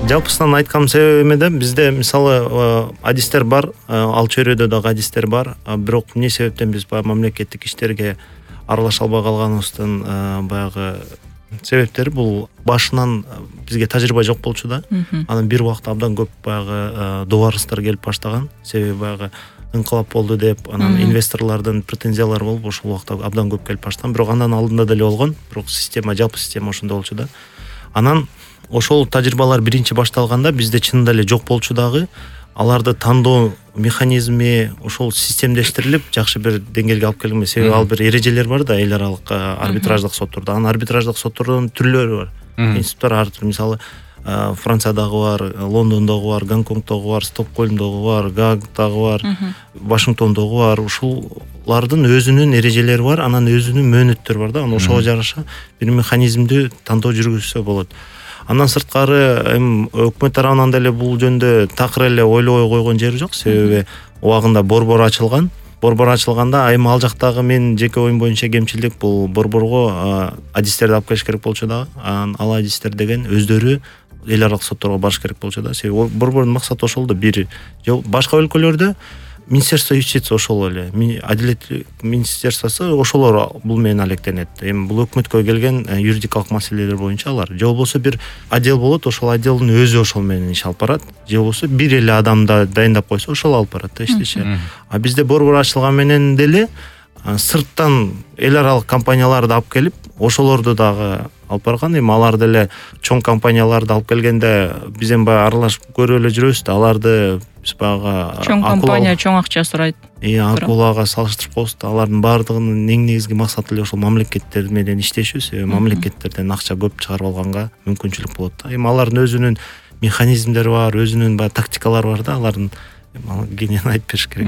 Жалпысынан айткан себебиме да бизде мисалы адистер бар, ал чөйрөдө дагы адистер бар. Бирок эмне себептен биз баягы мамлекеттик иштерге аралаша албай калганыбыздын баягы себептери бул башынан бизге тажрыйба жок болчу да. Анан бир убакта абдан көп баягы добарыстар келип баштаган. Себеби баягы ыңкылап болду деп, анан инвесторлордун претензиялары болуп ошол убакта абдан көп келип баштаган. Бирок андан алдында деле болгон. Бирок жалпы система ошондой болчу да. Анан ошол тажрыйбалар биринчи башталганда бизде чынында эле жок болчу дагы. Аларды тандоо механизми ошол системдештирилип жакшы бир деңгээлге алып келинген. Себеби ал бир эрежелер бар да, эл аралык арбитраждык соттордо. Анан арбитраждык соттордун түрлөрү бар. Институттар ар түрдүү. Мисалы Франциядагы бар, Лондондогу бар, Гонконгдогу бар, Стокгольмдогу бар, Гаагдагы бар, Вашингтондогу бар. Ушулардын өзүнүн эрежелери бар, анан өзүнүн мөөнөттөрү бар да. Анан ошого жараша бир механизмди тандоо жүргүзсө болот. Андан сырткары өкмөт тарабынан деле бул жөндө такыр эле ойлобой койгон жери жок. Себеби убагында борбор ачылган. Борбор ачылганда эми ал жактагы менин жеке оюм боюнча кемчилдик бул борборго адистерди алып келиш керек болчу да. Ал адистер деген өздөрү эл аралык сотторго барыш керек болчу да. Себеби борбордун максаты ошол да. Бир башка өлкөлөрдө Министерство юстиция ошол эле, Адилет министерствосу ошолор бул менен алектенет. Эми бул өкмөткө келген юридикалык маселелер боюнча алар. Же болбосо бир отдел болот, ошол отделдин өзү ошол менен иш алып барат. Же болбосо бир эле адамды дайындап койсо ошол алып барат да иштеши. А бизде борбор ачылган менен деле сырттан эл аралык компанияларды алып келип, ошолорду дагы алып барган. Эми алар деле чоң компанияларды алып келгенде биз эми баягы аралашып көрүп эле жүрөбүз да. Аларды биз баягы чоң компания чоң акча сурайт. Акулага салыштырып коебуз да. Алардын баардыгынын эң негизги максаты эле ошол мамлекеттер менен иштешүү. Себеби мамлекеттерден акча көп чыгарып алганга мүмкүнчүлүк болот да. Эми алардын өзүнүн механизмдери бар, өзүнүн баягы тактикалары бар да. Алардын кенен айтып бериш керек.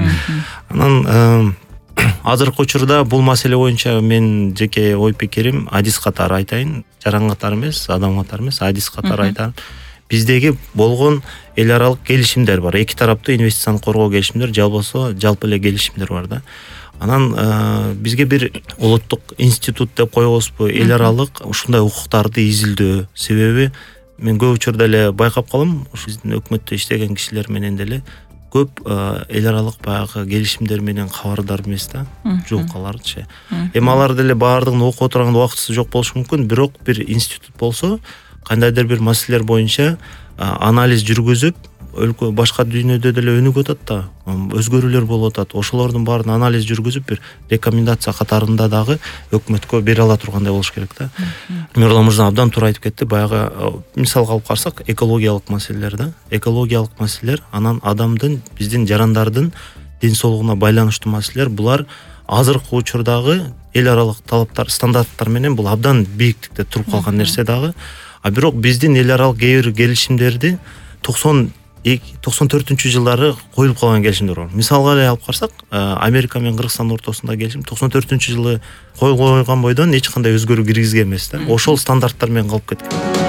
Анан азыркы учурда бул маселе боюнча мен жеке ой пикирим адис катары айтайын. Жаран катары эмес, адам катары эмес, адис катары айтайын. Биздеги болгон эл аралык келишимдер бар. Эки тараптуу инвестицияны коргоо келишимдер, же болбосо жалпы эле келишимдер бар да. Анан бизге бир улуттук институт деп койбойбузбу, эл аралык ушундай укуктарды изилдөө. Себеби мен көп учурда эле байкап калам, ушу биздин өкмөттө иштеген кишилер менен деле көп эл аралык баягы келишимдер менен кабардар эмес да. Жок аларчы. Эми алар деле баардыгын окуп отурганда убактысы жок болушу мүмкүн, бирок бир институт болсо кандайдыр бир маселелер боюнча анализ жүргүзүп, өлкө башка дүйнөдө деле өнүгүп атат да, өзгөрүүлөр болуп атат. Ошолордун баарын анализ жүргүзүп бир рекомендация катарында дагы өкмөткө бере ала тургандай болуш керек да. Мирлан мырза абдан туура айтып кетти. Баягы мисалга алып карасак, экологиялык маселелер да. Экологиялык маселелер, анан адамдын, биздин жарандардын ден соолугуна байланыштуу маселелер, булар азыркы учурдагы эл аралык талаптар, стандарттар менен бул абдан бийиктикте туруп калган нерсе дагы. Бирок биздин эл аралык кээ бир келишимдерди 94-жылдары коюлуп калган келишимдер бар. Мисалга эле алып карасак, Америка менен Кыргызстан ортосунда келишим 94-жылы коюлган бойдон эч кандай өзгөрүү киргизген эмес да. Ошол стандарттар менен калып кеткен.